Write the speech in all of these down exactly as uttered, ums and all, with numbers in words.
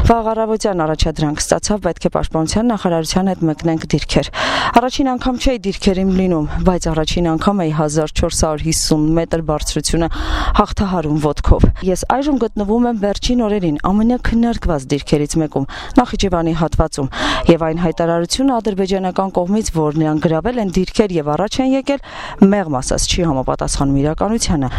Վաղ առավոտյան առաջադրանք ստացավ, պետք է պաշտպանության նախարարության հետ մեկնենք դիրքեր։ Առաջին անգամ չէի դիրքերին լինում, բայց առաջին անգամ էի հազար չորս հարյուր հիսուն մետր բարձրությունը հաղթահարում ոտքով։ Ես այժմ գտնվում եմ վերջին օրերին ամենաքննարկված դիրքերից մեկում, Նախիջևանի հատվածում, եւ այն հայտարարությունը ադրբեջանական կողմից, որ նրանք գրավել են դիրքեր եւ առաջ են եկել, մեղմ ասած չի համապատասխանում իրականությանը։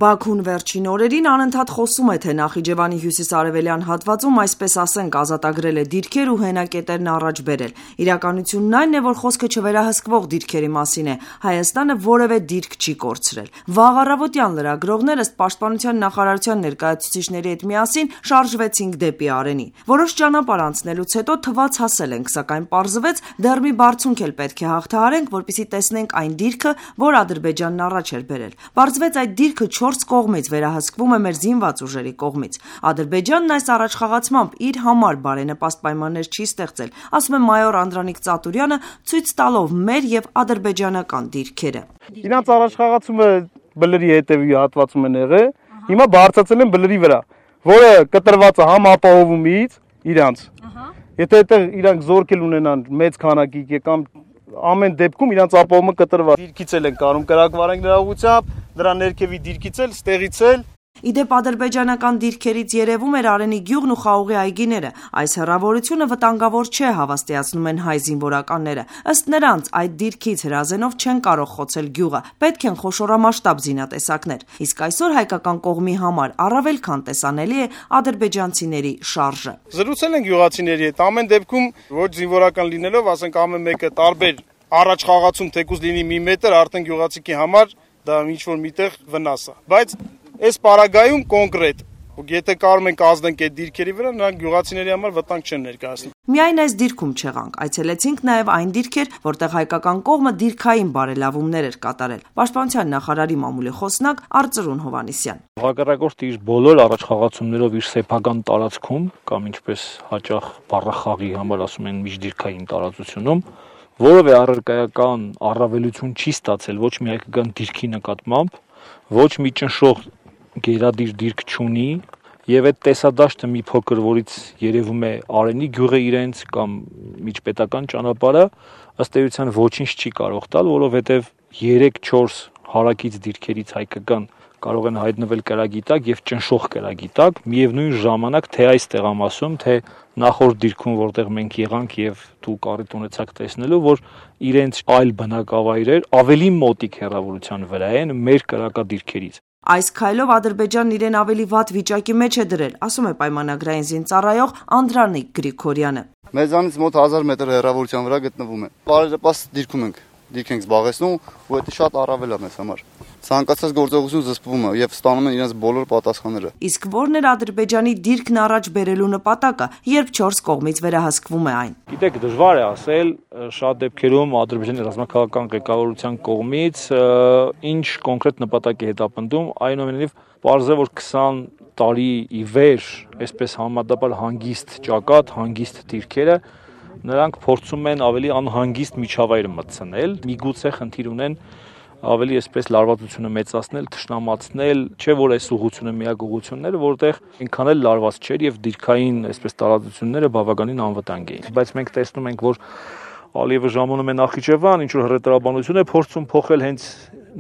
Բաքուն վերջին օրերին անընդհատ խոսում է, թե Նախիջևանի հյուսիսարևելյան հատվածում, այսպես ասենք, ազատագրել է դիրքեր ու հենակետերն առաջ բերել։ Իրականությունն այն է, որ խոսքը չվերահսկվող դիրքերի մասին է։ Հայաստանը որևէ դիրք չի կորցրել։ Վաղ առավոտյան լրագրողները ըստ պաշտպանության նախարարության ներկայացուցիչների հետ միասին շարժվեցինք դեպի Արենի։ Որոշ ճանապարհ անցնելուց հետո թվաց հասել ենք, սակայն պարզվեց դեռ մի բարձունք էլ պետք է հաղթահարենք, որպեսզի տեսնենք այն դիրքը, որ Ադրբեջանն առաջ էր բերել։ Պարզվեց այդ դիրքը չորս կողմից վերահսկվում է մեր զինված ուժերի կողմից։ Ադրբեջանն այս առաջխաղացմամբ իր համար բարենպաստ պայմաններ չի ստեղծել, ասում է մայոր Անդրանիկ Ծատուրյանը, ցույց տալով մեր եւ ադրբեջանական դիրքերը։ Իրանց առաջխաղացումը բլրի հետևի հատվածում են եղել, հիմա բարձրացել են բլրի վրա, որը կտրված է համ ապահովումից իրանց։ Եթե այդտեղ իրանք զորքել ունենան մեծ քանակի կամ ամեն դեպքում իրանց ապահովումը կտրված։ Դիրքից էլ են կարում կրակվարենք նրա ուղղությամբ, նրա ներքևի դիրքից էլ, ստեղից էլ։ Իդեպ ադրբեջանական դիրքերից երևում էր Արենի գյուղն ու Խաղողի այգիները։ Այս հեռավորությունը վտանգավոր չէ, հավաստիացնում են հայ զինվորականները։ Ըստ նրանց, այդ դիրքից հրազենով չեն կարող խոցել գյուղը, պետք են խոշորամասշտաբ զինատեսակներ։ Իսկ այսօր հայկական կողմի համար առավել քան տեսանելի է ադրբեջանցիների շարժը։ Զրուցել են գյուղացիների հետ, ամեն դեպքում ոչ զինվորական լինելով, ասենք ամեն մեկը տարբեր առաջ խաղացում թեկուզ լինի մի մետր, արդեն գյուղացիքի համար դա ինչ-որ միտեղ վնաս է։ Բայց այս պարագայում կոնկրետ, եթե կարում ենք ազդենք այդ դիրքերի վրա, նրանք գյուղացիների համար վտանգ չեն ներկայացնում։ Միայն այս դիրքում չեղանք, այցելեցինք նաև այն դիրքեր, որտեղ հայկական կողմը դիրքային բարելավումներ էր կատարել։ Պաշտպանության նախարարի մամուլի խոսնակ Արծրուն Հովհաննիսյան։ Հակառակորդը իր բոլոր առաջխաղացումներով իր սեփական տարածքում կամ ինչպես հաճախ բառախաղի համար ասում են միջդիրքային տարածությունում որևէ առարկայական առավելություն չի ստացել ոչ մի հայկական դիրքի նկատմամբ, ոչ մի ճնշող գերադիր դիրք չունի եւ այդ տեսադաշտը մի փոքր որից երևում է Արենի գյուղը իրենց կամ միջպետական ճանապարհը ըստ էության ոչինչ չի կարող տալ, որովհետեւ երեք չորս հարակից դիրքերից հայկական կարող են հայտնվել կրակի տակ եւ ճնշող կրակի տակ, միևնույն ժամանակ թե այս տեղամասում, թե նախորդ դիրքում, որտեղ մենք եղանք եւ դուք առիթ ունեցաք տեսնելու, որ իրենց այլ բնակավայրեր ավելի մոտիկ հեռավորության վրա են մեր կրակադիրքերից։ Այս քայլով Ադրբեջանն իրեն ավելի վատ վիճակի մեջ է դրել, ասում է պայմանագրային զինծառայող Անդրանիկ Գրիգորյանը։ Մեզանից մոտ հազար մետր հեռավորության վրա գտնվում է։ Բարենպաստ դիրքում ենք, դիրք ենք զբաղեցնում, ու դա շատ առավել է մեզ համար։ Ցանկացած գործողություն զսպվում է եւ ստանում են իրենց բոլոր պատասխանները։ Իսկ ո՞րն էր Ադրբեջանի դիրքն առաջ բերելու նպատակը, երբ չորս կողմից վերահսկվում է այն։ Գիտեք, դժվար է ասել, շատ դեպքերում Ադրբեջանի ռազմաքաղաքական ղեկավարության կողմից ինչ կոնկրետ նպատակ է հետապնդում, այնուամենայնիվ պարզ է, որ քսան տարի ի վեր, այսպես համեմատաբար հանգիստ ճակատ, հանգիստ դիրքերը, նրանք փորձում են ավելի անհանգիստ միջավայր մտցնել, միգուցե խնդիր ունեն ավելի այսպես լարվածությունը մեծացնել, թշնամացնել, չէ որ այս ուղղությունը միակ ուղղությունն էր, որտեղ այնքան էլ լարված չէր եւ դիրքային այսպես տարածությունները բավականին անվտանգ էին։ Բայց մենք տեսնում ենք, որ Ալիևը ժամանում է Նախիջևան, ինչ որ հռետորաբանություն է փորձում փոխել հենց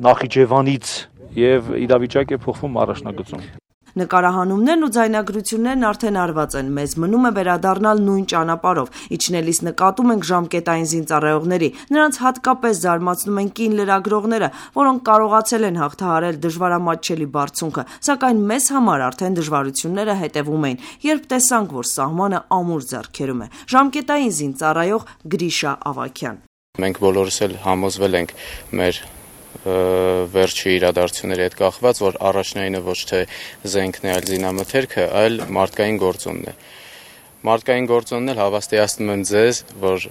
Նախիջևանից եւ իրավիճակը փոխվում առաջնագծում։ Նկարահանումներն ու ձայնագրություններն արդեն արված են, մեզ մնում է վերադառնալ նույն ճանապարհով, իջնելիս նկատում ենք ժամկետային զինծառայողների, նրանց հատկապես զարմացնում են կին լրագրողները, որոնք կարողացել են հաղթահարել դժվարամատչելի բարձունքը, սակայն մեզ համար արդեն դժվարությունները հետևում էին, երբ տեսանք, որ սահմանը ամուր ձեռքերում է։ Ժամկետային զինծառայող Գրիշա Ավագյան։ Մենք բոլորս էլ համոզվել ենք մեր վերջի իրադարձությունների հետ կախված, որ առաջնայինը ոչ թե զենքն է, այլ զինամթերքը, այլ մարդկային գործոնն է։ Մարդկային գործոնն էլ հավաստիացնում եմ ձեզ, որ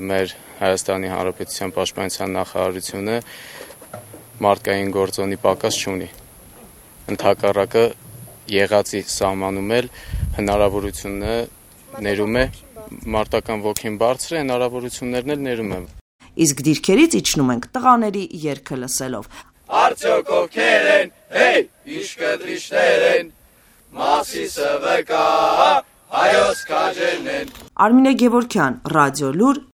մեր Հայաստանի Հանրապետության պաշտպանության նախարարությունը մարդկային գործոնի պակաս չունի։ Ընդհակառակը եղածի սահմանում էլ հնարավորությունը ներում է, մարտական ոգին բարձր է, հնարավորություններն էլ ներում է։ Իսկ դիրքերից իջնում ենք տղաների երգը լսելով։ Արդյոք ովքեր են, հեյ, ինչ կտրիչներ են, Մասիսը վկա, հայոց արժենն են։ Արմինե Գևորգյան, Ռադիոլուր,